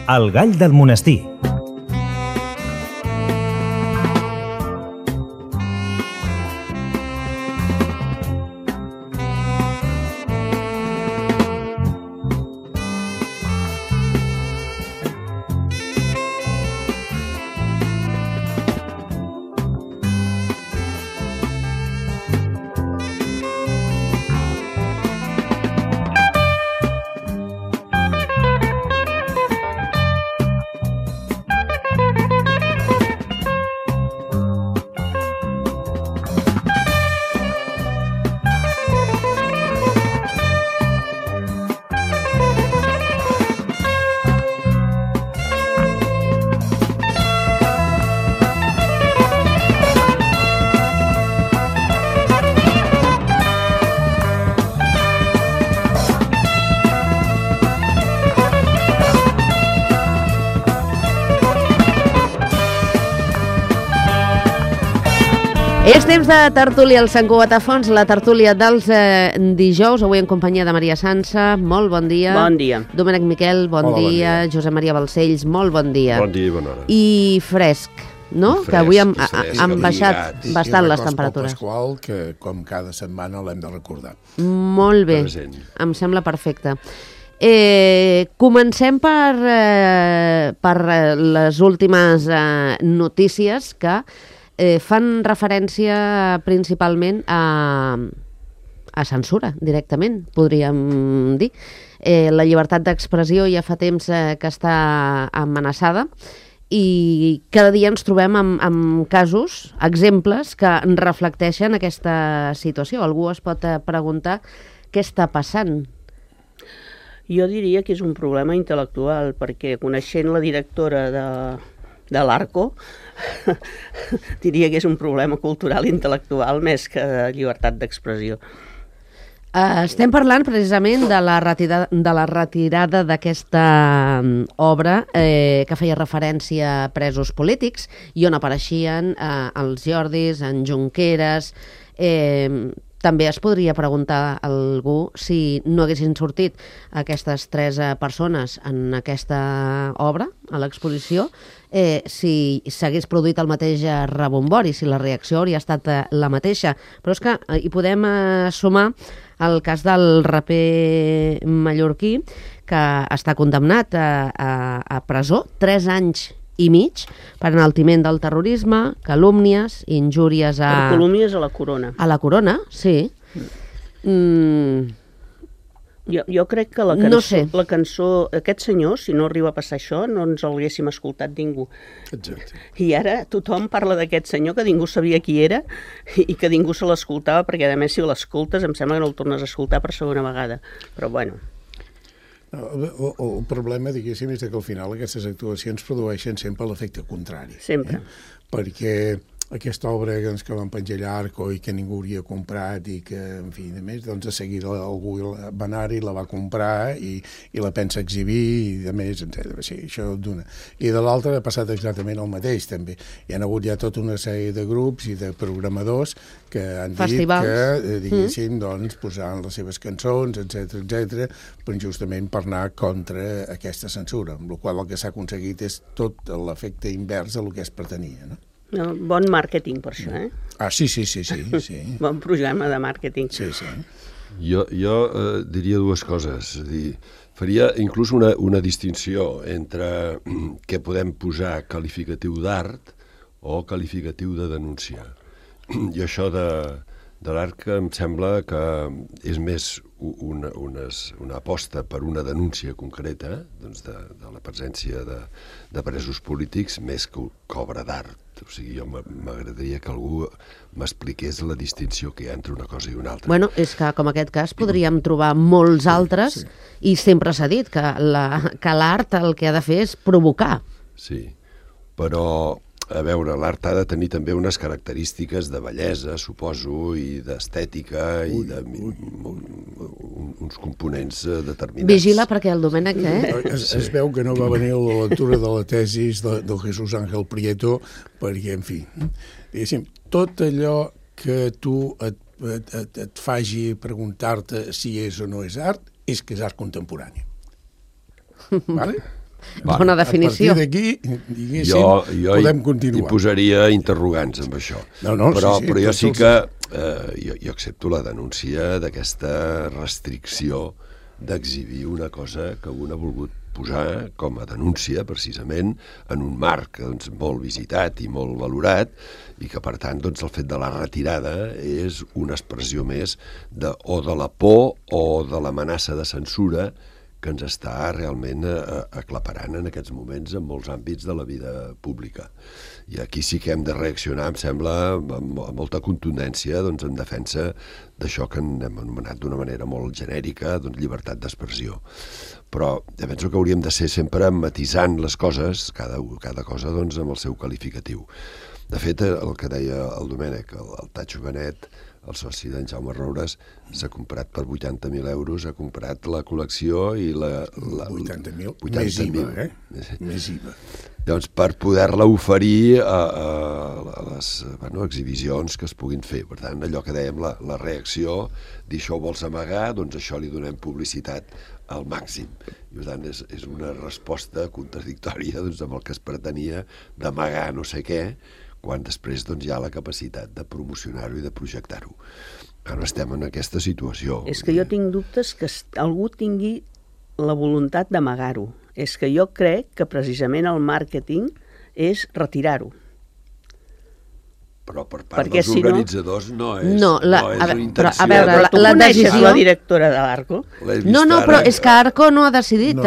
El gall del monestir. És temps de tertúlia al Sant Cugat a Fons, la tertúlia dels dijous, avui en companyia de Maria Sansa, molt bon dia. Bon dia. Domènec Miquel, bon dia. Josep Maria Balcells, molt bon dia. Bon dia i bona hora. I fresc, no? Fresc, que avui han abrigat. baixat bastant les temperatures. I Pasqual, que com cada setmana l'hem de recordar. Molt bé, Present. em sembla perfecte. Comencem per les últimes notícies que fan referència principalment a censura, directament, podríem dir. La llibertat d'expressió ja fa temps que està amenaçada i cada dia ens trobem amb casos, exemples, que reflecteixen aquesta situació. Algú es pot preguntar què està passant. Jo diria que és un problema intel·lectual, perquè coneixent la directora de l'Arco, diria que és un problema cultural i intel·lectual més que de llibertat d'expressió. Estem parlant precisament de la retirada d'aquesta obra que feia referència a presos polítics i on apareixien els Jordis, en Junqueras. També es podria preguntar a algú si no haguessin sortit aquestes tres persones en aquesta obra, a l'exposició, si s'hagués produït el mateix rebombori, si la reacció hauria estat la mateixa. Però és que hi podem sumar el cas del raper mallorquí, que està condemnat a presó 3 anys i mig per enaltiment del terrorisme, calúmnies, injúries a... Per calúmnies a la corona. A la corona, sí. Jo crec que la cançó, No sé. la cançó, aquest senyor, si no arriba a passar això, no ens l'haguéssim escoltat ningú. Exacte. I ara tothom parla d'aquest senyor que ningú sabia qui era i que ningú se l'escoltava, perquè a més si l'escoltes em sembla que no el tornes a escoltar per segona vegada. Però bueno... El problema, diguéssim, és que al final aquestes actuacions produeixen sempre l'efecte contrari. Sempre. Perquè aquesta obra que van penjar l'Arco i que ningú hauria comprat i que, en fi, a més, doncs de seguida algú va anar-hi, la va comprar i la pensa exhibir i de més, etc. Sí, això d'una. I de l'altra ha passat exactament el mateix, també. Hi ha hagut ja tota una sèrie de grups i de programadors que han Festivals. dit que, diguéssim, doncs, posaran les seves cançons, etc, però justament per anar contra aquesta censura, amb la qual el que s'ha aconseguit és tot l'efecte invers del que es pretenia, no? Bon màrqueting per això, eh? Ah, sí. Bon programa de màrqueting. Sí. Jo diria dues coses. És a dir, faria inclús una distinció entre què podem posar qualificatiu d'art o qualificatiu de denúncia. I això de l'art em sembla que és més una aposta per una denúncia concreta, doncs de la presència de presos polítics, més que obra d'art. O sigui, jo m'agradaria que algú m'expliqués la distinció que hi ha entre una cosa i una altra. Bueno, és que com aquest cas podríem trobar molts altres i sempre s'ha dit que l'art el que ha de fer és provocar. Sí, però, a veure, l'art ha de tenir també unes característiques de bellesa, suposo, i d'estètica, i uns components determinats. Vigila perquè el Domènec, Es veu que no va venir a la lectura de la tesis del Jesús Ángel Prieto, perquè, en fi, diguéssim, tot allò que tu et faci preguntar-te si és o no és art, és que és art contemporani. Vale? Bona definició. A partir d'aquí, diguéssim, podem continuar. Hi posaria interrogants amb això. Però jo sí que jo accepto la denúncia d'aquesta restricció d'exhibir una cosa que un ha volgut posar com a denúncia, precisament, en un marc molt visitat i molt valorat, i que, per tant, el fet de la retirada és una expressió més o de la por o de l'amenaça de censura que ens està realment aclaparant en aquests moments en molts àmbits de la vida pública. I aquí sí que hem de reaccionar, em sembla, amb molta contundència en defensa d'això que hem anomenat d'una manera molt genèrica, llibertat d'expressió. Però jo penso que hauríem de ser sempre matisant les coses, cada cosa amb el seu qualificatiu. De fet, el que deia el Domènec, el Tatxo Benet, el soci d'en Jaume Roures, s'ha comprat per 80.000 euros, ha comprat la col·lecció i 80.000? Més IVA, Més IVA. Doncs per poder-la oferir a les exhibicions que es puguin fer. Per tant, allò que dèiem, la reacció, dir això ho vols amagar, doncs això li donem publicitat al màxim. I per tant, és una resposta contradictòria amb el que es pretenia d'amagar no sé què, quan després hi ha la capacitat de promocionar-ho i de projectar-ho. Ara estem en aquesta situació. És que jo tinc dubtes que algú tingui la voluntat d'amagar-ho. És que jo crec que precisament el màrqueting és retirar-ho. Però per part dels organitzadors no és una intenció. A veure, tu coneixes la directora de l'Arco? No, però és que Arco no ha decidit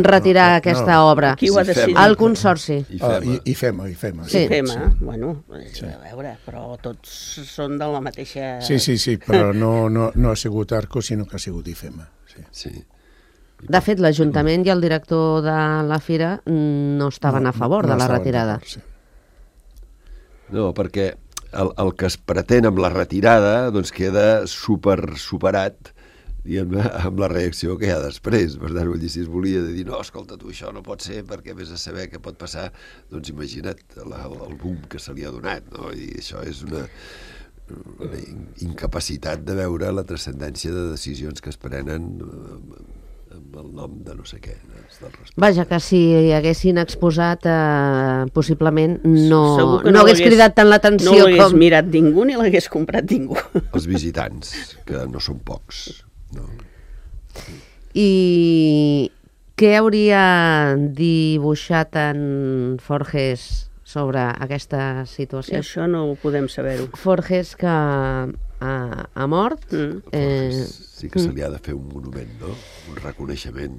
retirar aquesta obra. Qui ho ha decidit? El Consorci. I FEMA. Sí, FEMA. Bueno, a veure, però tots són de la mateixa... Sí, però no ha sigut Arco, sinó que ha sigut IFEMA. Sí. De fet, l'Ajuntament i el director de la Fira no estaven a favor de la retirada. No, perquè el que es pretén amb la retirada queda superat amb la reacció que hi ha després. Per tant, si es volia dir, no, escolta, tu això no pot ser perquè vés a saber què pot passar, doncs imagina't el boom que se li ha donat, no? I això és una incapacitat de veure la transcendència de decisions que es prenen amb el nom de no sé què. Vaja, que si haguessin exposat, possiblement no hagués cridat tant l'atenció com... No l'hagués mirat ningú ni l'hagués comprat ningú. Els visitants, que no són pocs. No. I què hauria dibuixat en Forges sobre aquesta situació? Això no ho podem saber-ho. Forges que ha mort. Sí que se li ha de fer un monument, no? Un reconeixement.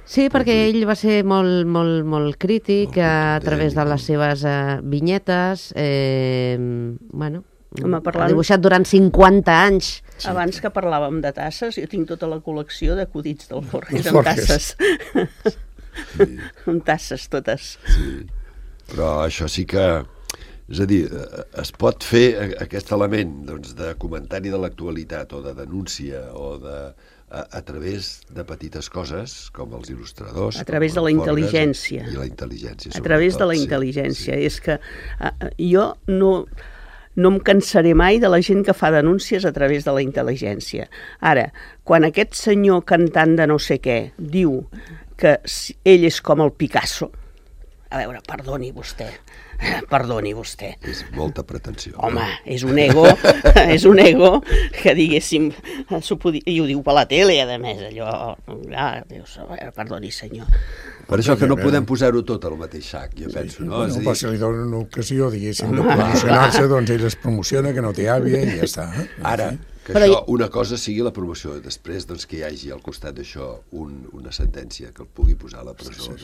Sí, perquè ell va ser molt crític a través de les seves vinyetes. Ha dibuixat durant 50 anys. Abans que parlàvem de tasses, jo tinc tota la col·lecció d'acudits del Forges amb tasses. Amb tasses totes. Sí, però això sí que... És a dir, es pot fer aquest element de comentari de l'actualitat o de denúncia o a través de petites coses, com els il·lustradors... A través de la intel·ligència. I la intel·ligència, a través de la intel·ligència. És que jo no em cansaré mai de la gent que fa denúncies a través de la intel·ligència. Ara, quan aquest senyor cantant de no sé què diu que ell és com el Picasso, a veure, perdoni vostè. És molta pretensió. Home, és un ego que diguéssim, i ho diu per la tele, a més, allò, perdoni senyor. Per això que no podem posar-ho tot al mateix sac, jo penso, no? Però si li donen una ocasió, diguéssim, de promocionar-se, doncs ell es promociona, que no té àvia, i ja està. Ara, que això, una cosa sigui la promoció, després que hi hagi al costat d'això una sentència que el pugui posar a la presó.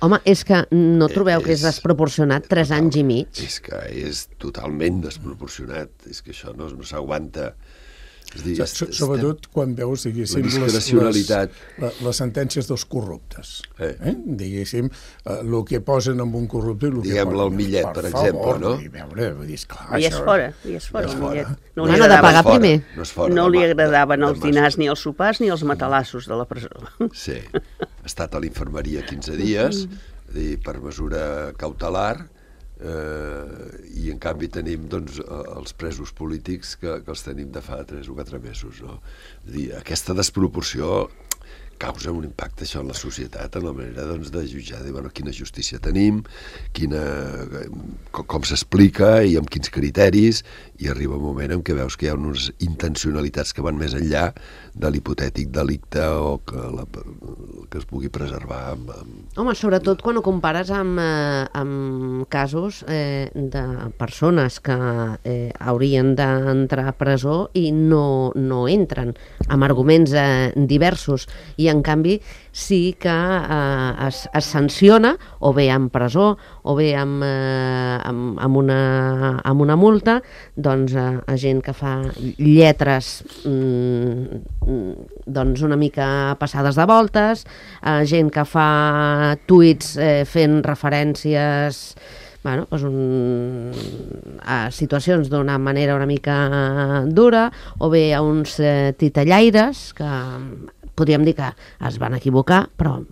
Home, és que no trobeu que és desproporcionat 3 anys i mig? És que és totalment desproporcionat, és que això no s'aguanta. Sobretot quan veus, diguéssim, les sentències dels corruptes. Diguéssim, el que posen amb un corrupte... Diguem-le el Millet, per exemple, no? I és fora, el Millet. No ha de pagar primer. No li agradaven els dinars ni els sopars ni els matalassos de la presó. Sí, ha estat a l'infermeria 15 dies per mesura cautelar, i en canvi tenim els presos polítics que els tenim de fa 3 o 4 mesos, no? És a dir, aquesta desproporció causa un impacte això en la societat, en la manera doncs, de jutjar, de bueno, quina justícia tenim, com s'explica i amb quins criteris, i arriba un moment en què veus que hi ha unes intencionalitats que van més enllà de l'hipotètic delicte o que es pugui preservar. Home, sobretot quan ho compares amb casos de persones que haurien d'entrar a presó i no entren, amb arguments diversos, i en canvi sí que es sanciona o bé amb presó o bé amb una multa, doncs a gent que fa lletres doncs una mica passades de voltes, a gent que fa tuits fent referències a situacions d'una manera una mica dura, o bé a uns titellaires que podríem dir que es van equivocar, però...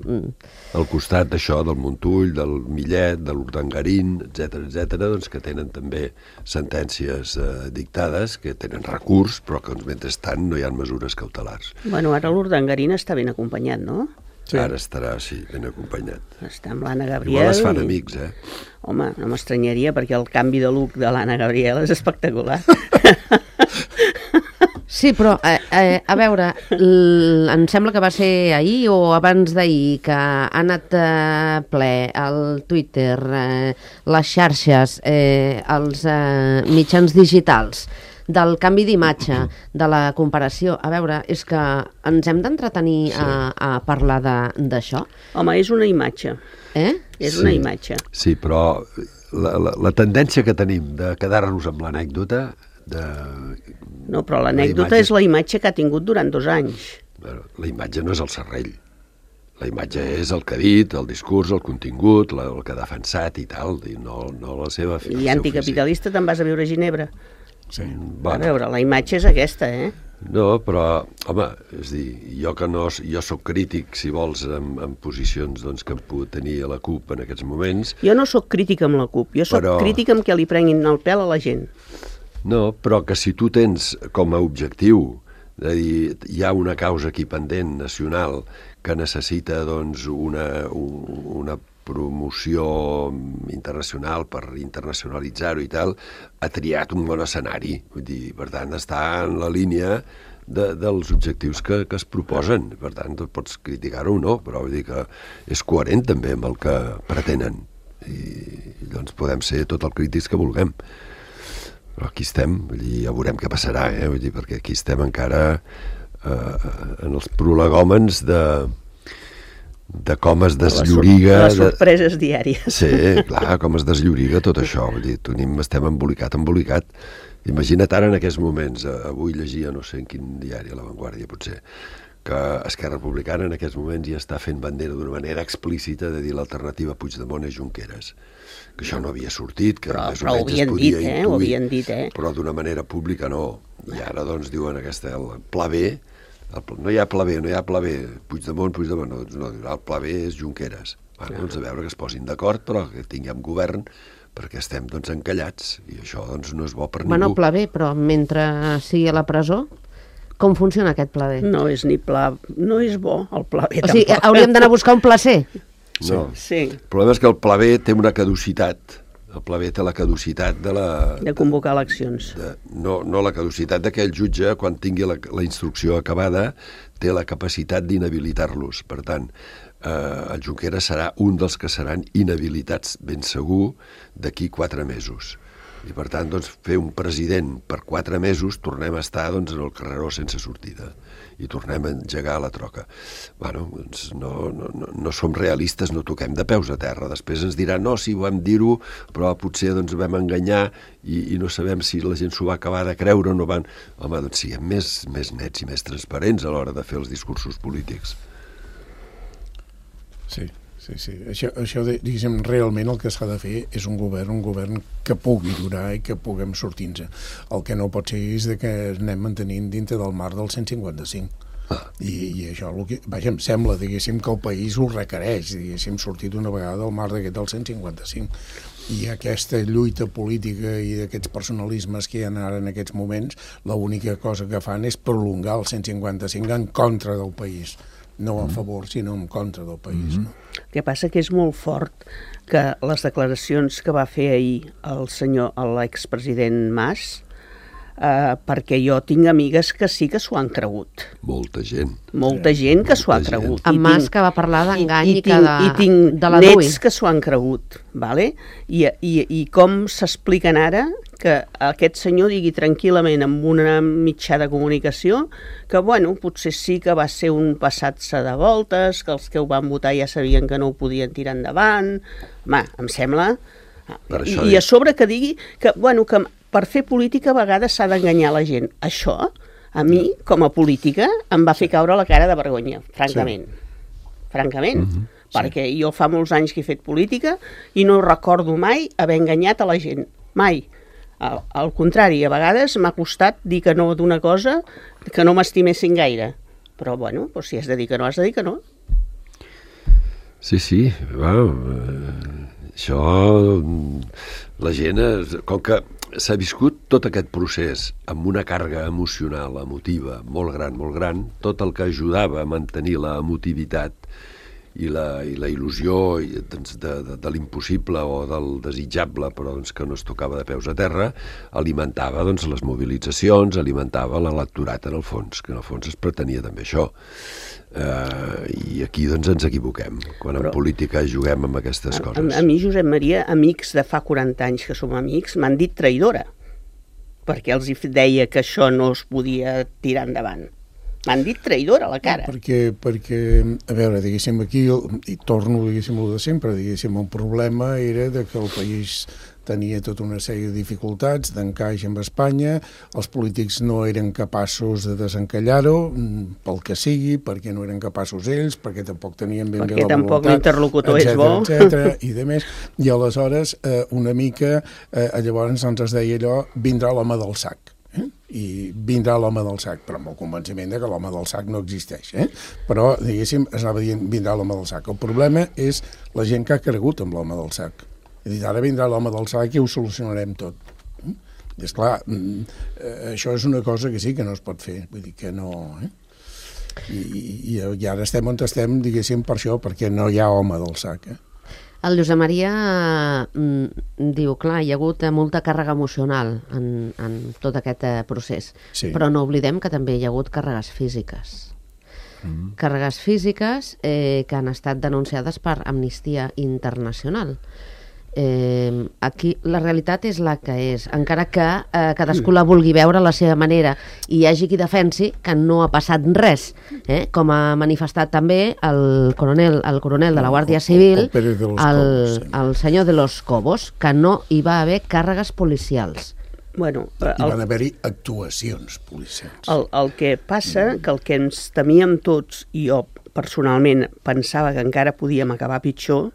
Al costat d'això, del Montull, del Millet, de l'Urdangarín, etc., doncs que tenen també sentències dictades, que tenen recurs, però que mentrestant no hi ha mesures cautelars. Bueno, ara l'Urdangarín està ben acompanyat, no? Sí. Ara estarà, sí, ben acompanyat. Està amb l'Anna Gabriel. Igual es fan amics, Home, no m'estranyaria, perquè el canvi de look de l'Anna Gabriel és espectacular. Sí, però, a veure, em sembla que va ser ahir o abans d'ahir que ha anat ple el Twitter, les xarxes, els mitjans digitals, del canvi d'imatge, de la comparació. A veure, és que ens hem d'entretenir a parlar d'això? Home, és una imatge. És una imatge. Sí, però la tendència que tenim de quedar-nos amb l'anècdota... No, però l'anècdota és la imatge que ha tingut durant 2 anys. La imatge no és el serrell. La imatge és el que ha dit, el discurs, el contingut, el que ha defensat i tal, no la seva... I anticapitalista te'n vas a viure a Ginebra. Sí. A veure, la imatge és aquesta, No, però, home, és a dir, jo soc crític, si vols, en posicions doncs, que hem pogut tenir a la CUP en aquests moments. Jo no sóc crític amb la CUP, jo sóc crític amb que li prenguin el pèl a la gent. No, però que si tu tens com a objectiu de dir, hi ha una causa aquí pendent nacional que necessita doncs, una promoció internacional per internacionalitzar-ho i tal, ha triat un bon escenari. Vull dir, per tant, està en la línia dels objectius que es proposen. Per tant, pots criticar-ho o no, però vull dir que és coherent també amb el que pretenen. I doncs podem ser tot el crítics que vulguem. Però aquí estem, vull dir, ja veurem què passarà, vull dir, perquè aquí estem encara en els prolegòmens de com es deslloriga... Les sorpreses diàries. Sí, clar, com es deslloriga tot això. Vull dir, estem embolicat. Imagina't ara en aquests moments, avui llegia, no sé en quin diari, a La Vanguardia potser, que Esquerra Republicana en aquests moments ja està fent bandera d'una manera explícita de dir l'alternativa Puigdemont és Junqueras. Que això no havia sortit, que més o menys es podia intuir, ho havien dit, però d'una manera pública no. I ara doncs diuen el pla B, no hi ha pla B, Puigdemont, no, el pla B és Junqueras. Doncs a veure que es posin d'acord, però que tinguem govern, perquè estem doncs encallats, i això doncs no és bo per ningú. Bueno, pla B, però mentre sigui a la presó, com funciona aquest pla B? No és ni pla, no és bo el pla B, tampoc. O sigui, hauríem d'anar a buscar un pla C? No, sí. El problema és que el pla B té una caducitat. El pla B té la caducitat de convocar eleccions. No la caducitat que el jutge, quan tingui la instrucció acabada, té la capacitat d'inhabilitar-los. Per tant, el Junqueras serà un dels que seran inhabilitats ben segur d'aquí 4 mesos. I per tant, doncs, fer un president per 4 mesos, tornem a estar doncs, en el carreró sense sortida i tornem a engegar la troca. Bueno, doncs no som realistes, no toquem de peus a terra. Després ens diran, no, sí, vam dir-ho, però potser doncs, vam enganyar i no sabem si la gent s'ho va acabar de creure o no van... Home, doncs siguem més nets i més transparents a l'hora de fer els discursos polítics. Sí. Això diguéssim, realment el que s'ha de fer és un govern que pugui durar i que puguem sortir-nos. El que no pot ser és que anem mantenint dintre del marc del 155. I això, em sembla, diguéssim, que el país ho requereix, diguéssim, sortir d'una vegada del marc d'aquest del 155. I aquesta lluita política i d'aquests personalismes que hi ha ara en aquests moments, l'única cosa que fan és prolongar el 155 en contra del país. no a favor, sinó en contra del país. No? El que passa que és molt fort que les declaracions que va fer ahir l'expresident Mas, perquè jo tinc amigues que sí que s'ho han cregut. Molta gent. Molta gent que s'ho ha cregut. En Mas, que va parlar d'engany i tinc de la DUI. nets que s'ho han cregut, vale? I com s'expliquen ara que aquest senyor digui tranquil·lament amb una mitjà de comunicació que, bueno, potser sí que va ser un passat-se de voltes, que els que ho van votar ja sabien que no ho podien tirar endavant. Home, em sembla... I a sobre que digui que, bueno, que per fer política a vegades s'ha d'enganyar la gent. Això, a mi, com a política, em va fer caure la cara de vergonya, francament. Francament. Perquè jo fa molts anys que he fet política i no recordo mai haver enganyat a la gent. Mai. Al contrari, a vegades m'ha costat dir que no d'una cosa que no m'estimessin gaire. Però, bueno, si has de dir que no, has de dir que no. Sí, això... La gent, com que s'ha viscut tot aquest procés amb una càrrega emocional, emotiva, molt gran, tot el que ajudava a mantenir la emotivitat i la il·lusió de l'impossible o del desitjable, però que no es tocava de peus a terra, alimentava les mobilitzacions, alimentava l'electorat en el fons, que en el fons es pretenia també això. I aquí ens equivoquem, quan en política juguem amb aquestes coses. A mi, Josep Maria, amics de fa 40 anys que som amics, m'han dit traïdora, perquè els deia que això no es podia tirar endavant. M'han dit traïdora a la cara. Perquè, a veure, diguéssim, aquí, i torno, diguéssim, el de sempre, diguéssim, el problema era de que el país tenia tota una sèrie de dificultats d'encaix amb Espanya, els polítics no eren capaços de desencallar-ho, pel que sigui, perquè no eren capaços ells, perquè tampoc tenien ben bé la voluntat, perquè tampoc l'interlocutor és bo, etcètera, i de més. I aleshores, una mica, llavors ens es deia allò, vindrà l'home del sac. I vindrà l'home del sac, però amb el convenciment de que l'home del sac no existeix. Però, diguéssim, es anava dient vindrà l'home del sac. El problema és la gent que ha cregut amb l'home del sac. És a dir, ara vindrà l'home del sac i ho solucionarem tot. I esclar, això és una cosa que sí que no es pot fer, vull dir que no... I ara estem on estem, diguéssim, per això, perquè no hi ha home del sac. El Josep Maria diu, clar, hi ha hagut molta càrrega emocional en tot aquest procés, però no oblidem que també hi ha hagut càrregues físiques. Càrregues físiques que han estat denunciades per Amnistia Internacional. Aquí la realitat és la que és, encara que cadascú la vulgui veure a la seva manera i hi hagi qui defensi que no ha passat res, com ha manifestat també el coronel de la Guàrdia Civil, el senyor de los Cobos, que no hi va haver càrregues policials. Hi van haver-hi actuacions policials. El que passa, que el que ens temíem tots, i jo personalment pensava que encara podíem acabar pitjor,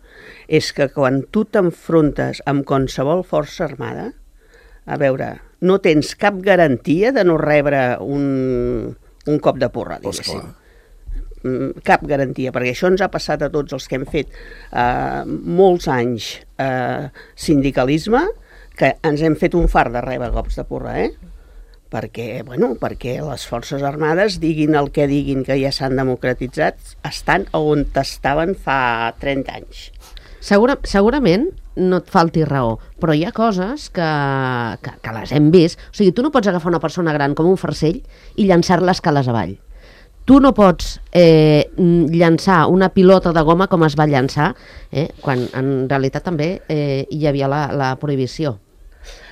és que quan tu t'enfrontes amb qualsevol força armada, a veure, no tens cap garantia de no rebre un cop de porra, diguéssim. Cap garantia, perquè això ens ha passat a tots els que hem fet molts anys sindicalisme, que ens hem fet un fart de rebre cops de porra, perquè les forces armades, diguin el que diguin, que ja s'han democratitzat, estan on estaven fa 30 anys. Segurament no et falti raó, però hi ha coses que les hem vist. O sigui, tu no pots agafar una persona gran com un farcell i llançar-la escales avall. Tu no pots llançar una pilota de goma com es va llançar, quan en realitat també hi havia la prohibició.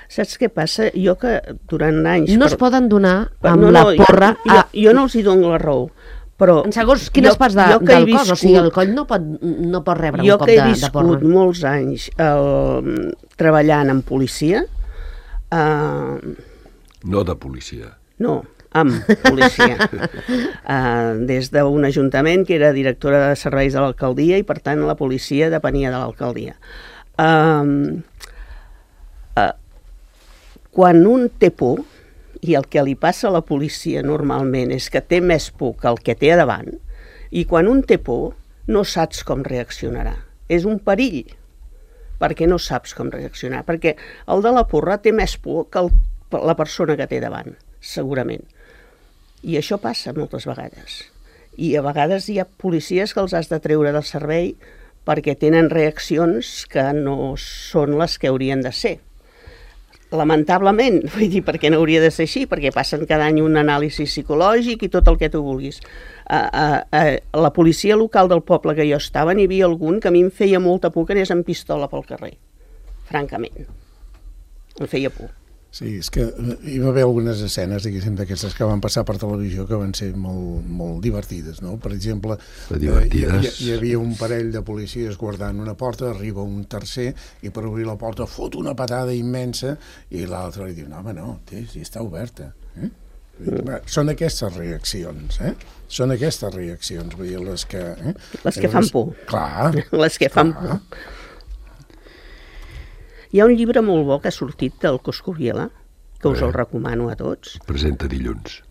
Saps què passa? Jo que durant anys... No es poden donar amb la porra... Jo no els hi dono la raó, però... En segons quines parts del cos, o sigui, el coll no pot rebre un cop de porra. Jo que he viscut molts anys treballant en policia... No de policia. No, amb policia. Des d'un ajuntament que era directora de serveis de l'alcaldia i, per tant, la policia depenia de l'alcaldia. Quan un té por, i el que li passa a la policia normalment és que té més por que el que té a davant, i quan un té por no saps com reaccionarà. És un perill, perquè no saps com reaccionar, perquè el de la porra té més por que la persona que té davant, segurament. I això passa moltes vegades. I a vegades hi ha policies que els has de treure del servei perquè tenen reaccions que no són les que haurien de ser. Lamentablement, vull dir, perquè no hauria de ser així, perquè passen cada any un anàlisi psicològic i tot el que tu vulguis. A la policia local del poble que jo estava n'hi havia algun que a mi em feia molta por que anés amb pistola pel carrer, francament. Em feia por. Sí, és que hi va haver algunes escenes, diguéssim, d'aquestes que van passar per televisió que van ser molt divertides, no? Per exemple, hi havia un parell de policies guardant una porta, arriba un tercer i per obrir la porta fot una patada immensa i l'altre li diu, no, home, no, sí, està oberta. Són aquestes reaccions, Són aquestes reaccions, vull dir, les que... Les que fan por. Clar. Les que fan por. Hi ha un llibre molt bo que ha sortit del Coscubiela, que us el recomano a tots. Presenta dilluns.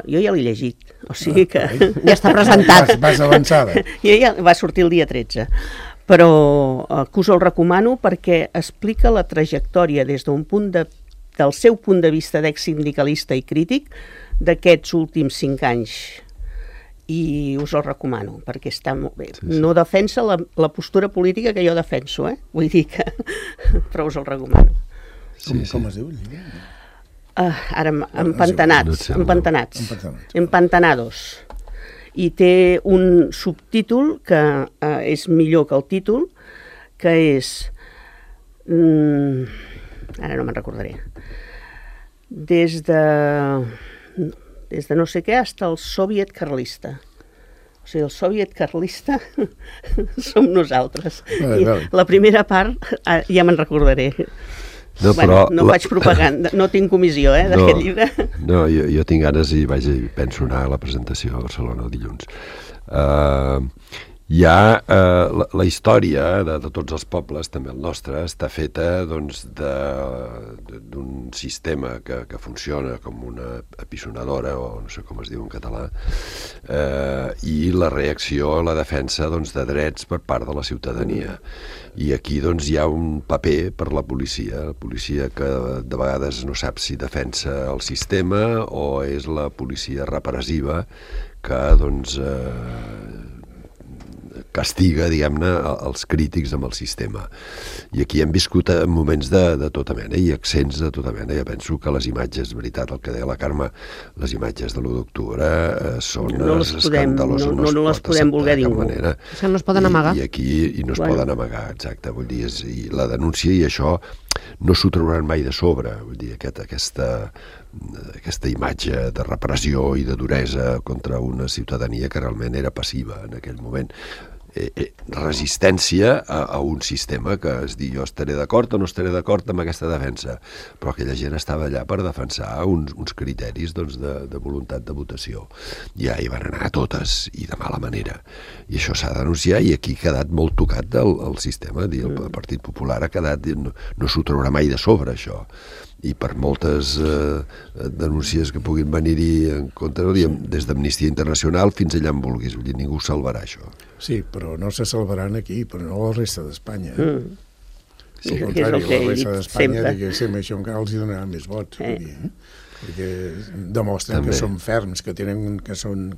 Jo ja l'he llegit, o sigui que... Ja està presentat. Vas avançada. Ja va sortir el dia 13. Però que us el recomano perquè explica la trajectòria des del seu punt de vista d'ex-sindicalista i crític d'aquests últims 5 anys. I us el recomano, perquè està molt bé. Sí. No defensa la postura política que jo defenso, vull dir que... però us el recomano. Com es diu el llibre? Ara, Empantanados. I té un subtítol que és millor que el títol, que és... ara no me'n recordaré. Des de no sé què fins al soviet carlista. O sigui, el soviet carlista som nosaltres. La primera part ja me'n recordaré. No faig propaganda, no tinc comissió d'aquest llibre. No, jo tinc ganes i penso anar a la presentació a Barcelona el dilluns. La història de tots els pobles, també el nostre, està feta d'un sistema que funciona com una apisonadora, o no sé com es diu en català, i la reacció a la defensa de drets per part de la ciutadania. I aquí hi ha un paper per la policia que de vegades no sap si defensa el sistema o és la policia repressiva que castiga, diguem-ne, els crítics amb el sistema. I aquí hem viscut moments de tota mena i accents de tota mena. Jo penso que les imatges, veritat, el que deia la Carme, les imatges de l'1 d'octubre són escandaloses. No les podem voler ningú. Això no es poden amagar. I aquí no es poden amagar, exacte. Vull dir, la denúncia i això no s'ho trauran mai de sobre. Vull dir, aquesta imatge de repressió i de duresa contra una ciutadania que realment era passiva en aquell moment. Resistència a un sistema que es diu jo estaré d'acord o no estaré d'acord amb aquesta defensa, però aquella gent estava allà per defensar uns criteris de voluntat de votació. Ja hi van anar totes i de mala manera, i això s'ha de denunciar, i aquí ha quedat molt tocat el sistema. El Partit Popular ha quedat, no s'ho traurà mai de sobre això, i per moltes denúncies que puguin venir-hi en contra, des d'Amnistia Internacional fins allà en vulguis, vull dir, ningú salvarà això. Sí, però no se salvaran aquí, però no a la resta d'Espanya. Sí, al contrari, la resta d'Espanya, diguéssim, això encara els donarà més vots, perquè demostren que són ferms, que són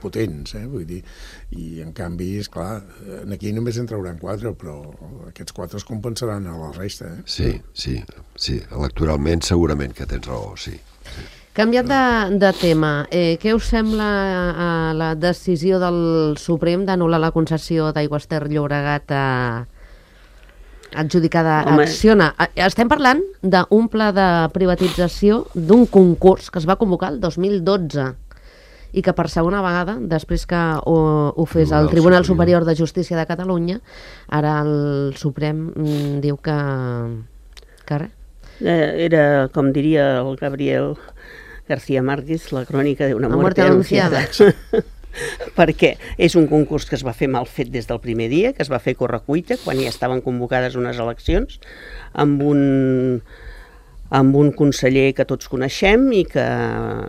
potents, vull dir, i en canvi, esclar, aquí només en trauran 4, però aquests 4 es compensaran a la resta. Sí, electoralment segurament que tens raó, sí. Canviat de tema, què us sembla la decisió del Suprem d'anul·lar la concessió d'Aigües Ter Llobregat adjudicada a Acciona? Estem parlant d'un pla de privatització d'un concurs que es va convocar el 2012 i que per segona vegada, després que ho fes el Tribunal Superior de Justícia de Catalunya, ara el Suprem diu que res. Era, com diria el Gabriel García Márquez, la crònica d'una muerte anunciada. Perquè és un concurs que es va fer mal fet des del primer dia, que es va fer correcuita, quan ja estaven convocades unes eleccions, amb un conseller que tots coneixem i que...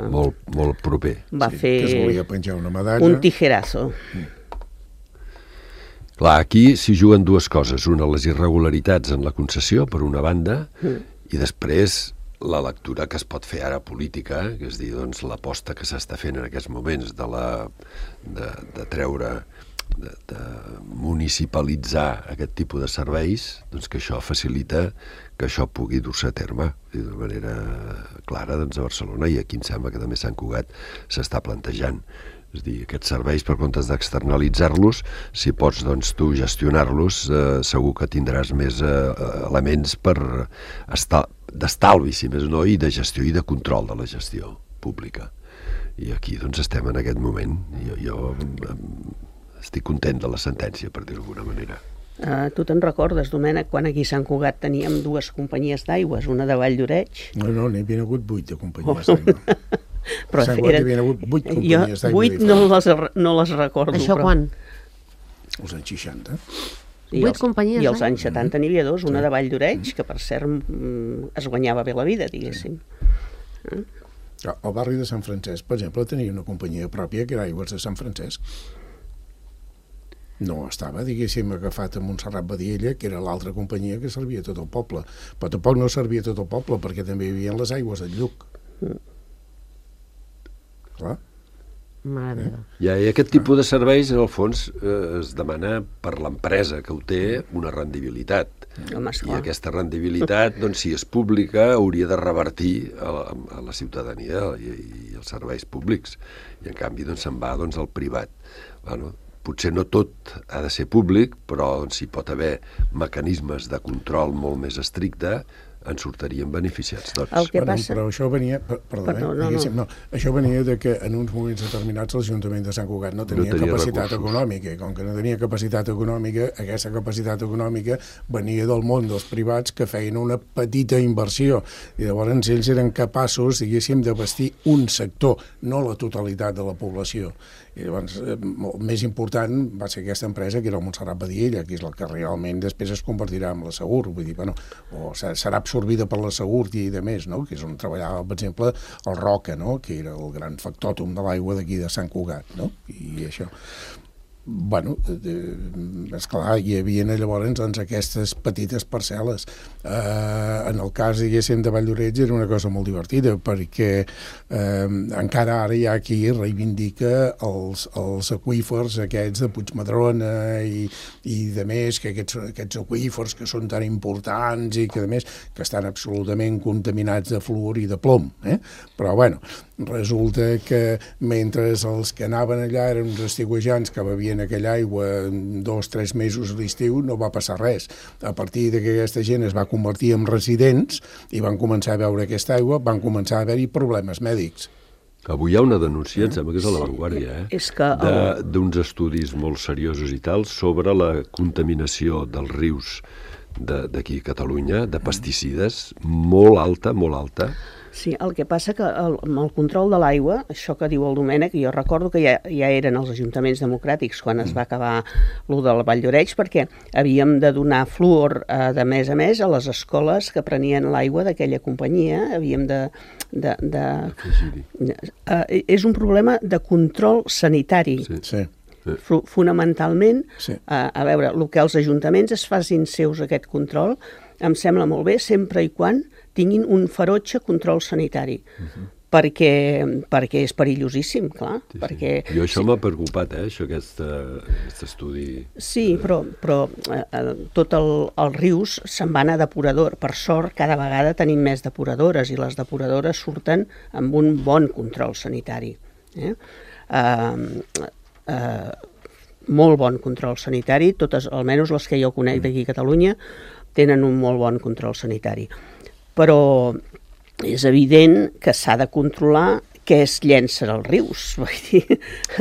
Molt proper. Va fer que es volia penjar una medalla. Un tijerazo. Clar, aquí s'hi juguen dues coses. Una, les irregularitats en la concessió, per una banda, i després la lectura que es pot fer ara política, que és dir, doncs, l'aposta que s'està fent en aquests moments de treure, de municipalitzar aquest tipus de serveis, doncs que això facilita que això pugui dur-se a terme d'una manera clara, doncs, a Barcelona, i aquí em sembla que també a Sant Cugat s'està plantejant. És a dir, aquests serveis, per comptes d'externalitzar-los, si pots, doncs, tu gestionar-los, segur que tindràs més elements per d'estalvi, si més no, i de gestió i de control de la gestió pública. I aquí, doncs, estem en aquest moment. Jo estic content de la sentència, per dir-ho d'alguna manera. Tu te'n recordes, Domènec, quan aquí a Sant Cugat teníem 2 companyies d'aigües, una de Vall d'Oreig? No, n'hi havia hagut 8 de companyies d'aigua. Però Sant Cugat hi havia hagut 8 companyies d'aigua. 8 no les recordo. Això quan? Els anys 60. I 8 companyies, I als anys 70 n'hi havia 2, una de Vall d'Oreig, que per cert es guanyava bé la vida, diguéssim. El barri de Sant Francesc, per exemple, tenia una companyia pròpia que era Aigües de Sant Francesc. No estava, diguéssim, agafat a Montserrat Badiella, que era l'altra companyia que servia tot el poble. Però tampoc no servia tot el poble, perquè també hi havia les aigües del Lluc. Clar. Mare meva. I aquest tipus de serveis, en el fons, es demana per l'empresa que ho té una rendibilitat. Home, I esclar. aquesta rendibilitat, doncs, si és pública, hauria de revertir a la ciutadania i als serveis públics. I, en canvi, doncs, se'n va, doncs, al privat. Bueno, potser no tot ha de ser públic, però doncs, hi pot haver mecanismes de control molt més estricte, en sortirien beneficiats tots. El que passa... Però això venia, això venia de que en uns moments determinats l'Ajuntament de Sant Cugat no tenia capacitat econòmica, i com que no tenia capacitat econòmica, aquesta capacitat econòmica venia del món dels privats que feien una petita inversió, i llavors ells eren capaços, diguéssim, de vestir un sector, no la totalitat de la població. I llavors, el més important va ser aquesta empresa, que era el Montserrat Badiella, que és la que realment després es convertirà en la Segur, vull dir, bueno, o serà absorbida per la Segur i de més, no? Que és on treballava, per exemple, el Roca, no? Que era el gran factòtum de l'aigua d'aquí de Sant Cugat, no? I això... Bueno, esclar, hi havia llavors doncs, aquestes petites parcel·les. En el cas, diguéssim, de Vall d'Oreig era una cosa molt divertida, perquè encara ara hi ha qui reivindica els aqüífers aquests de Puigmadrona i de més, que aquests aqüífers que són tan importants i que, a més, que estan absolutament contaminats de fluor i de plom. Però, bueno, resulta que mentre els que anaven allà eren uns estiuejants que bevien aquella aigua 2 o 3 mesos a l'estiu, no va passar res. A partir que aquesta gent es va convertir en residents i van començar a beure aquesta aigua, van començar a haver-hi problemes mèdics. Avui hi ha una denúncia, em sembla que és a l'avantguàrdia, És que d'uns estudis molt seriosos i tal sobre la contaminació dels rius d'aquí a Catalunya, de pesticides, molt alta, molt alta. Sí, el que passa que amb el control de l'aigua, això que diu el Domènec, jo recordo que ja eren els ajuntaments democràtics quan es va acabar lo del Vall d'Oreig, perquè havíem de donar fluor de mes a mes a les escoles que prenien l'aigua d'aquella companyia, havíem de és un problema de control sanitari. Sí. Fonamentalment, Sí. a veure, el que els ajuntaments es facin seus aquest control, em sembla molt bé, sempre i quan tinguin un ferotge control sanitari, perquè és perillosíssim, clar. Sí. Perquè, Jo això m'ha preocupat, aquest estudi. Sí, però tot els rius se'n van a depurador. Per sort, cada vegada tenim més depuradores i les depuradores surten amb un bon control sanitari. Molt bon control sanitari, totes, almenys les que jo conec d'aquí a Catalunya, tenen un molt bon control sanitari. Però és evident que s'ha de controlar què es llencen als rius. Vull dir.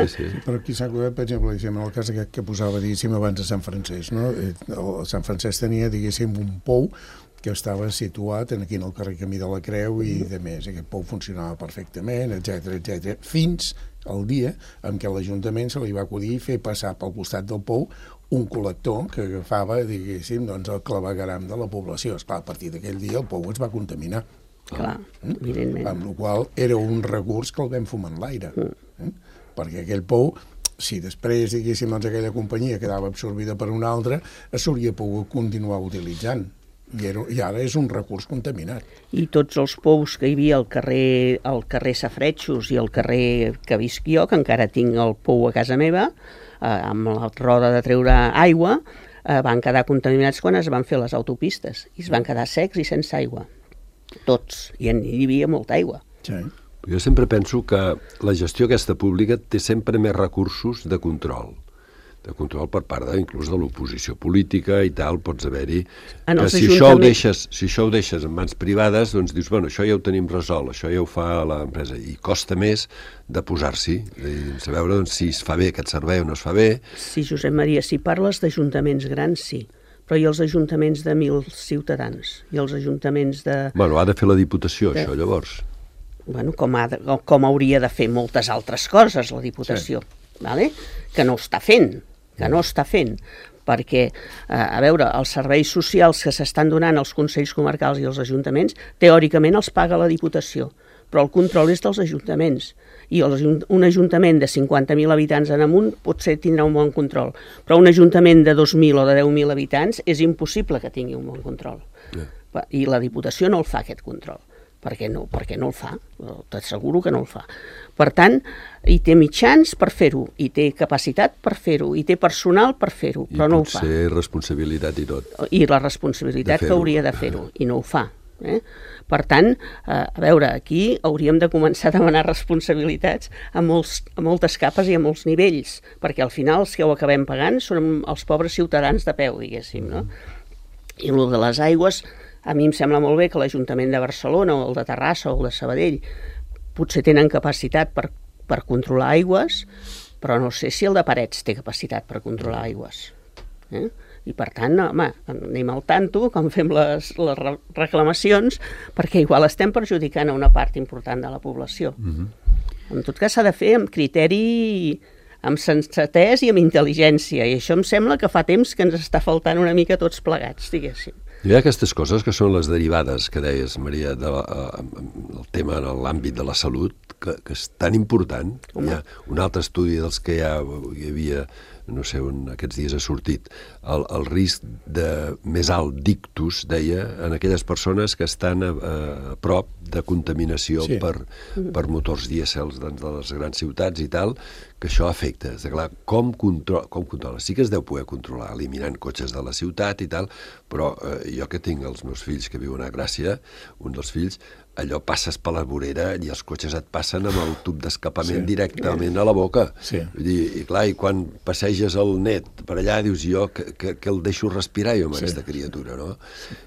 Sí. Però aquí s'ha acordat, per exemple, en el cas aquest que posava, diguéssim, abans de Sant Francesc, no? Sant Francesc tenia, diguéssim, un pou que estava situat aquí en el carrer Camí de la Creu i de més. Aquest pou funcionava perfectament, etc, fins al dia en què l'Ajuntament se li va acudir fer passar pel costat del pou un col·lector que agafava, diguéssim, doncs, el clavegueram de la població. Esclar, a partir d'aquell dia el pou es va contaminar. Clar, evidentment. Amb la qual era un recurs que el vam fumar en l'aire. Perquè aquell pou, si després, diguéssim, doncs, aquella companyia quedava absorbida per una altra, s'hauria pogut continuar utilitzant. I ara és un recurs contaminat. I tots els pous que hi havia al carrer Safretxos i al carrer que visc jo, que encara tinc el pou a casa meva, amb la roda de treure aigua, van quedar contaminats quan es van fer les autopistes i es van quedar secs i sense aigua. Tots. I hi havia molta aigua. Sí. Jo sempre penso que la gestió aquesta pública té sempre més recursos de control per part inclús de l'oposició política i tal, pots haver-hi... Si això ho deixes en mans privades, doncs dius, bueno, això ja ho tenim resolt, això ja ho fa l'empresa, i costa més de posar-s'hi, de saber si es fa bé aquest servei o no es fa bé. Sí, Josep Maria, si parles d'ajuntaments grans, sí, però i els ajuntaments de 1.000 ciutadans? I els ajuntaments de... Bueno, ha de fer la Diputació, això, llavors. Bueno, com hauria de fer moltes altres coses, la Diputació, vale? Que no està fent, perquè, a veure, els serveis socials que s'estan donant als consells comarcals i als ajuntaments, teòricament els paga la Diputació, però el control és dels ajuntaments, i un ajuntament de 50.000 habitants en amunt potser tindrà un bon control, però un ajuntament de 2.000 o de 10.000 habitants és impossible que tingui un bon control. I la Diputació no el fa, aquest control. Perquè no el fa, t'asseguro que no el fa. Per tant, hi té mitjans per fer-ho, hi té capacitat per fer-ho, hi té personal per fer-ho, però no ho fa. I potser responsabilitat i tot. I la responsabilitat que hauria de fer-ho, i no ho fa. Per tant, a veure, aquí hauríem de començar a demanar responsabilitats a moltes capes i a molts nivells, perquè al final els que ho acabem pagant són els pobres ciutadans de peu, diguéssim, no? I el de les aigües, a mi em sembla molt bé que l'Ajuntament de Barcelona o el de Terrassa o el de Sabadell potser tenen capacitat per controlar aigües, però no sé si el de Parets té capacitat per controlar aigües. I per tant, home, anem al tanto quan fem les reclamacions, perquè igual estem perjudicant a una part important de la població. En tot cas, s'ha de fer amb criteri, amb sensatès i amb intel·ligència, i això em sembla que fa temps que ens està faltant una mica tots plegats, diguéssim. Hi ha aquestes coses que són les derivades que deies, Maria, del tema en l'àmbit de la salut, que és tan important. Hi ha un altre estudi dels que hi havia, no sé on aquests dies ha sortit, el risc de més alt d'ictus, deia, en aquelles persones que estan a prop de contaminació per motors dièsels de les grans ciutats i tal, que això afecta. És clar, com controla? Sí que es deu poder controlar eliminant cotxes de la ciutat i tal, però jo que tinc els meus fills que viuen a Gràcia, un dels fills, allò passes per la vorera i els cotxes et passen amb el tub d'escapament directament a la boca. Vull dir, i clar, i quan passeges el net per allà dius jo que el deixo respirar jo amb aquesta criatura, no?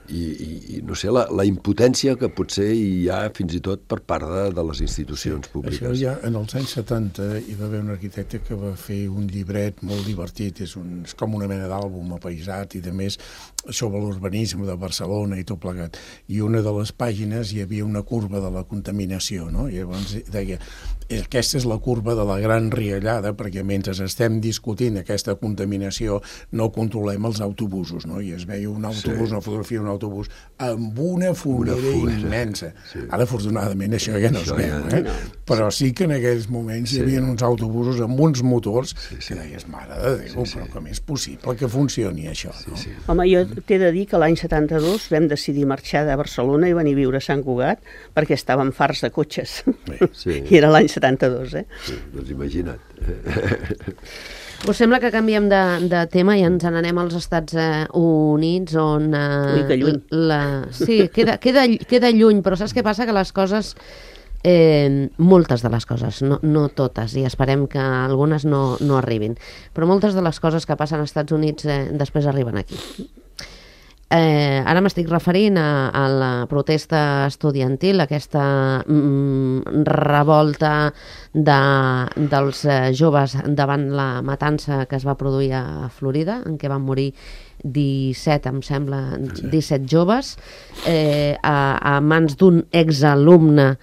I no sé, la impotència que potser hi ha fins i tot per part de les institucions públiques. Això ja en els anys 70 hi va haver un arquitecte que va fer un llibret molt divertit, és com una mena d'àlbum apaïsat i de més sobre l'urbanisme de Barcelona i tot plegat. I una de les pàgines hi havia una curva de la contaminació, no? I llavors deia, aquesta és la curva de la gran riallada, perquè mentre estem discutint aquesta contaminació no controlem els autobusos, no? I es veia un autobús, una fotografia d'un autobús amb una foguera immensa. Ara, afortunadament, això ja no es veu, però sí que en aquells moments hi havia uns autobusos amb uns motors que deies, mare de Déu, però com és possible que funcioni això, no? Home, jo t'he de dir que l'any 72 vam decidir marxar de Barcelona i venir a viure a Sant Cugat perquè estàvem farts de cotxes. I era l'any 72, Sí, doncs imagina't. Us sembla que canviem de tema i ens n'anem als Estats Units, on... Ui, que lluny. Sí, queda lluny, però saps què passa? Que les coses... moltes de les coses, no totes, i esperem que algunes no arribin, però moltes de les coses que passen als Estats Units després arriben aquí. Ara m'estic referint a la protesta estudiantil, aquesta revolta dels joves davant la matança que es va produir a Florida, en què van morir 17, em sembla, 17 joves, a mans d'un exalumne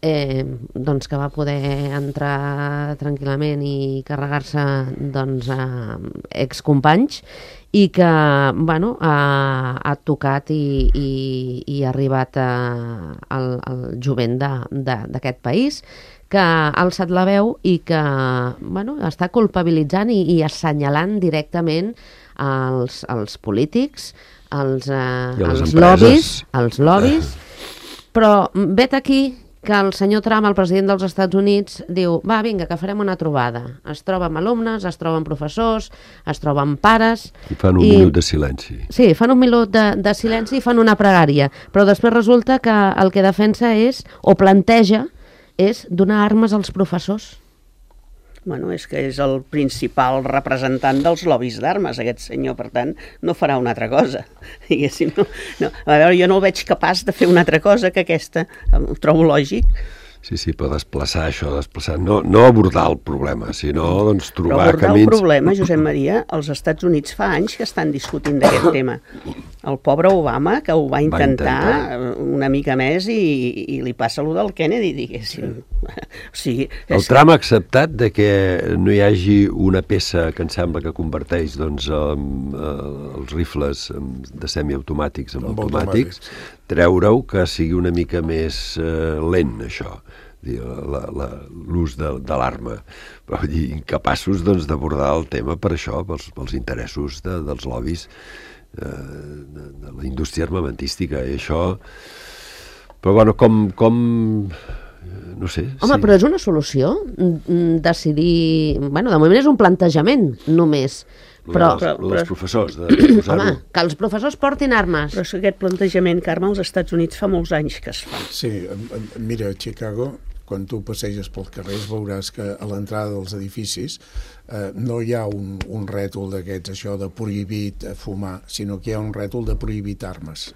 doncs que va poder entrar tranquil·lament i carregar-se doncs, excompanys, i que bueno, ha tocat i ha arribat al jovent d'aquest país, que ha alçat la veu i que bueno, està culpabilitzant i assenyalant directament els polítics, els empreses. lobbies, però vet aquí que el senyor Trump, el president dels Estats Units, diu, va, vinga, que farem una trobada. Es troba amb alumnes, es troba amb professors, es troba amb pares... I fan un minut de silenci. Sí, fan un minut de silenci i fan una pregària, però després resulta que el que defensa és, o planteja, és donar armes als professors. Bueno, és que és el principal representant dels lobbies d'armes, aquest senyor, per tant, no farà una altra cosa. Diguéssim, no. A veure, jo no el veig capaç de fer una altra cosa que aquesta, ho trobo lògic. Sí, però desplaçar això, no abordar el problema, sinó doncs, trobar però abordar camins... el problema, Josep Maria, als Estats Units fa anys que estan discutint d'aquest tema. El pobre Obama, que ho va intentar una mica més i li passa allò del Kennedy, diguéssim. O sigui, el Trump ha acceptat de que no hi hagi una peça que em sembla que converteix doncs, els rifles de semiautomàtics en automàtics, treure-ho que sigui una mica més lent, això, l'ús de l'arma. Però incapaços d'abordar el tema per això, pels interessos dels lobbies de la indústria armamentística. I això... Però bueno, com no sé... Home, però és una solució decidir... Bueno, de moment és un plantejament, només. Però els professors, home, que els professors portin armes. Però és aquest plantejament, Carme, als Estats Units fa molts anys que es fa. Sí, mira, a Chicago, quan tu passeges pels carrers, veuràs que a l'entrada dels edificis no hi ha un rètol d'aquests, això de prohibit fumar, sinó que hi ha un rètol de prohibit armes.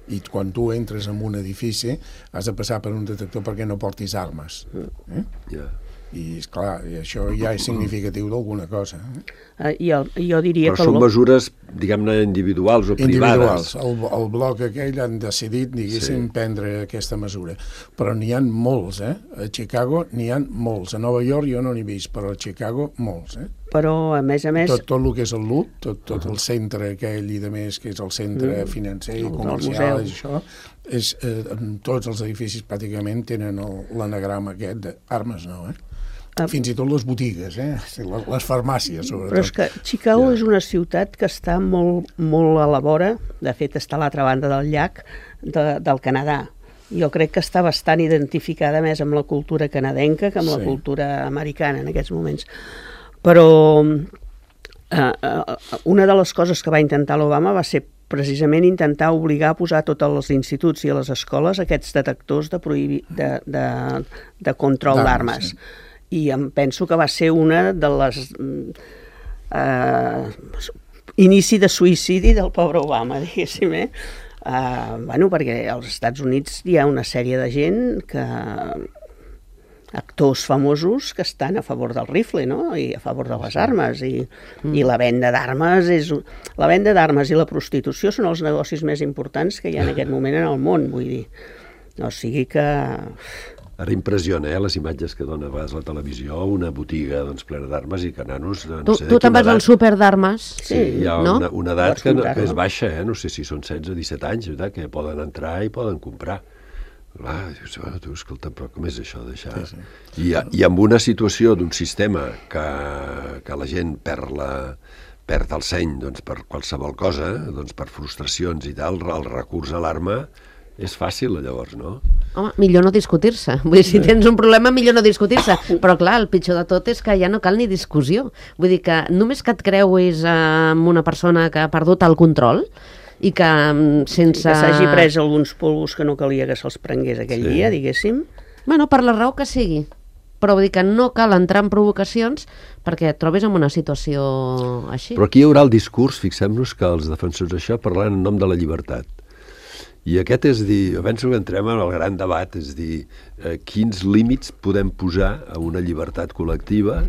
I quan tu entres en un edifici has de passar per un detector perquè no portis armes. I, esclar, això ja és significatiu d'alguna cosa. Jo diria però són mesures, diguem-ne, individuals o privades. El bloc aquell han decidit, diguéssim, prendre aquesta mesura. Però n'hi ha molts, A Chicago n'hi ha molts. A Nova York jo no n'he vist, però a Chicago molts, Però, a més... Tot el que és el LUT, tot el centre aquell i de més, que és el centre financer i comercial, i això, tots els edificis pràcticament tenen l'anagrama aquest d'armes, no, Fins i tot les botigues, les farmàcies, sobretot. Però és que Chicago és una ciutat que està molt, molt a la vora, de fet està a l'altra banda del llac del Canadà. Jo crec que està bastant identificada més amb la cultura canadenca que amb la cultura americana en aquests moments. Però una de les coses que va intentar l'Obama va ser precisament intentar obligar a posar a tots els instituts i a les escoles aquests detectors de control d'armes. I em penso que va ser una de les inici de suïcidi del pobre Obama, diguéssim, perquè als Estats Units hi ha una sèrie de gent actors famosos que estan a favor del rifle, no? I a favor de les armes, i la venda d'armes i la prostitució són els negocis més importants que hi ha en aquest moment en el món, vull dir. O sigui que... Ara impressiona, les imatges que dona a vegades la televisió, una botiga plena d'armes i que nanos... Tu te'n vas al súper d'armes? Sí, hi ha una edat que és baixa, no sé si són 16 o 17 anys, que poden entrar i poden comprar. Dius, escolta, però com és això d'això? I amb una situació d'un sistema que la gent perd el seny per qualsevol cosa, per frustracions i tal, el recurs a l'arma és fàcil, llavors, no? Home, millor no discutir-se. Vull dir, si tens un problema, millor no discutir-se. Però, clar, el pitjor de tot és que ja no cal ni discussió. Vull dir que només que et creuis amb una persona que ha perdut el control i que sense... Que s'hagi pres alguns polvos que no calia que se'ls prengués aquell dia, diguéssim. Bueno, per la raó que sigui. Però vull dir que no cal entrar en provocacions perquè et trobis en una situació així. Però aquí hi haurà el discurs, fixem-nos que els defensors d'això parlaran en nom de la llibertat. I aquest és dir, penso que entrem en el gran debat, és dir, quins límits podem posar a una llibertat col·lectiva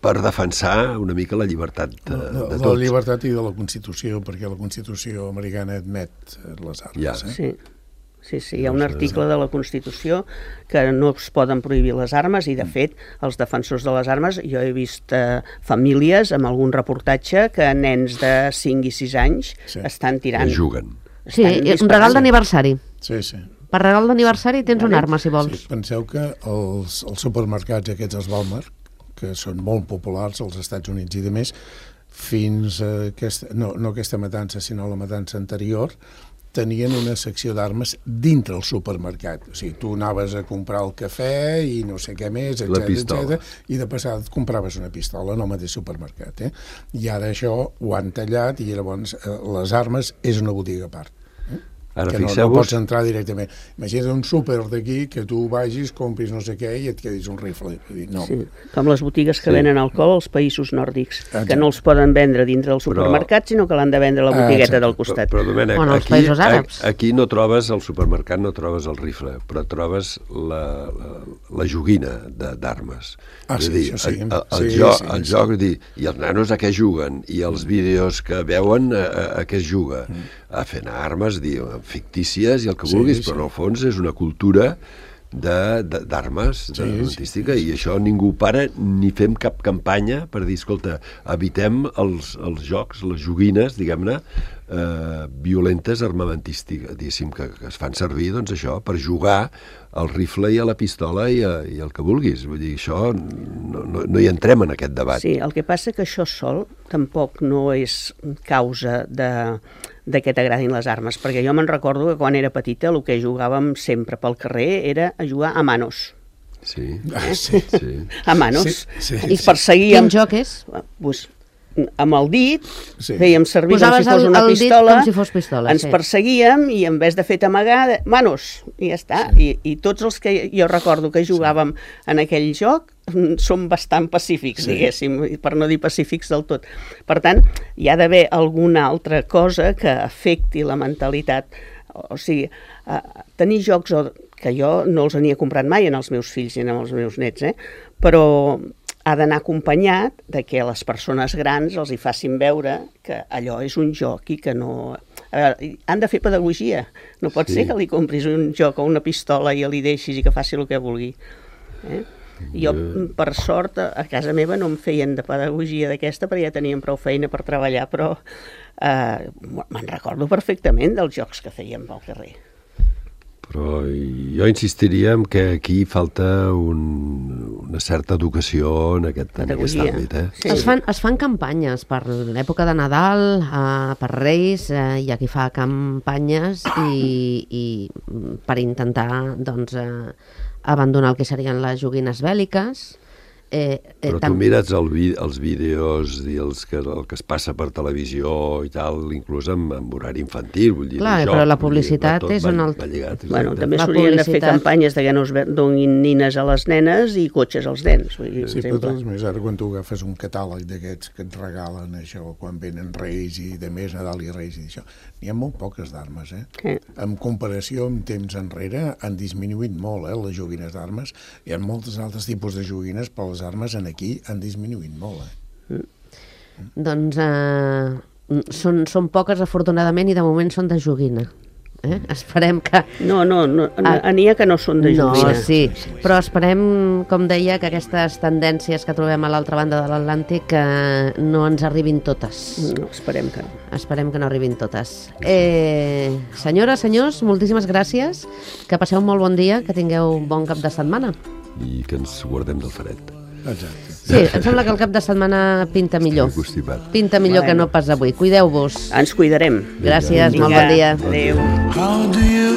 per defensar una mica la llibertat de tots. La llibertat i de la Constitució, perquè la Constitució americana admet les armes. Sí, hi ha un article de la Constitució que no es poden prohibir les armes i, de fet, els defensors de les armes, jo he vist famílies amb algun reportatge que nens de 5 i 6 anys estan tirant... I juguen. Sí, un regal d'aniversari. Sí. Per regal d'aniversari tens una arma, si vols. Sí, penseu que els supermercats aquests, els Walmart, que són molt populars als Estats Units i de més, fins a no aquesta matança, sinó la matança anterior, tenien una secció d'armes dintre el supermercat. O sigui, tu anaves a comprar el cafè i no sé què més, etc. I de passada compraves una pistola en el mateix supermercat. I ara això ho han tallat i llavors les armes és una botiga a part. Ara, que no pots entrar directament. Imagina't un súper d'aquí que tu vagis, compris no sé què i et quedis un rifle. No. Sí, com les botigues que venen alcohol als països nòrdics, que no els poden vendre dintre del supermercat, sinó que l'han de vendre a la botigueta del costat. Però Domènec, aquí no trobes al supermercat, no trobes el rifle, però trobes la joguina d'armes. És a dir, el joc, i els nanos a què juguen, i els vídeos que veuen a què es juga, a fer armes, fictícies i el que vulguis, però en el fons és una cultura d'armes, armamentística, i això ningú para ni fem cap campanya per dir, escolta, evitem els jocs, les joguines, diguem-ne, violentes armamentístiques, diguéssim, que es fan servir, doncs això, per jugar al rifle i a la pistola i el que vulguis. Vull dir, això no hi entrem en aquest debat. Sí, el que passa que això sol tampoc no és causa de que t'agradin les armes, perquè jo me'n recordo que quan era petita el que jugàvem sempre pel carrer era a jugar a manos. Sí. A manos. Sí. I perseguíem... Quin joc és? Pues, amb el dit, fèiem servir com si fos una pistola, ens perseguíem i en vez de fer amagar, manos, i ja està. I tots els que jo recordo que jugàvem en aquell joc són bastant pacífics, diguéssim, per no dir pacífics del tot. Per tant, hi ha d'haver alguna altra cosa que afecti la mentalitat. O sigui, tenir jocs que jo no els havia comprat mai en els meus fills i en els meus nets, però ha d'anar acompanyat de que a les persones grans els hi facin veure que allò és un joc i que no... A veure, han de fer pedagogia. No pot ser que li compris un joc o una pistola i li deixis i que faci el que vulgui. Jo, per sort, a casa meva no em feien de pedagogia d'aquesta perquè ja teníem prou feina per treballar, però me'n recordo perfectament dels jocs que fèiem pel carrer. Però jo insistiria en que aquí falta una certa educació en aquest àmbit. Sí. Es fan campanyes per l'època de Nadal, per Reis, hi ha qui fa campanyes i per intentar abandonar el que serien les joguines bèl·liques. Però tu mires els vídeos i el que es passa per televisió i tal, inclús amb horari infantil, vull dir, clar, però la publicitat és un altre... Bueno, també s'haurien de fer campanyes de que no es donin nines a les nenes i cotxes als nens. Sí, però tots més, ara quan tu agafes un catàleg d'aquests que et regalen això, quan venen Reis i de més, Nadal i Reis i això, n'hi ha molt poques d'armes, En comparació amb temps enrere han disminuït molt, les joguines d'armes. Hi ha molts altres tipus de joguines, però les armes aquí han disminuït molt. Doncs són poques, afortunadament, i de moment són de joguina. Esperem que... No, n'hi ha que no són de joguina. No, sí, però esperem, com deia, que aquestes tendències que trobem a l'altra banda de l'Atlàntic no ens arribin totes. No, esperem que no. Esperem que no arribin totes. Senyores, senyors, moltíssimes gràcies, que passeu un molt bon dia, que tingueu un bon cap de setmana. I que ens guardem del fred. Exacte. Sí, em sembla que el cap de setmana pinta millor. Pinta millor que no pas avui. Cuideu-vos. Ens cuidarem. Gràcies, molt bon dia. Adéu.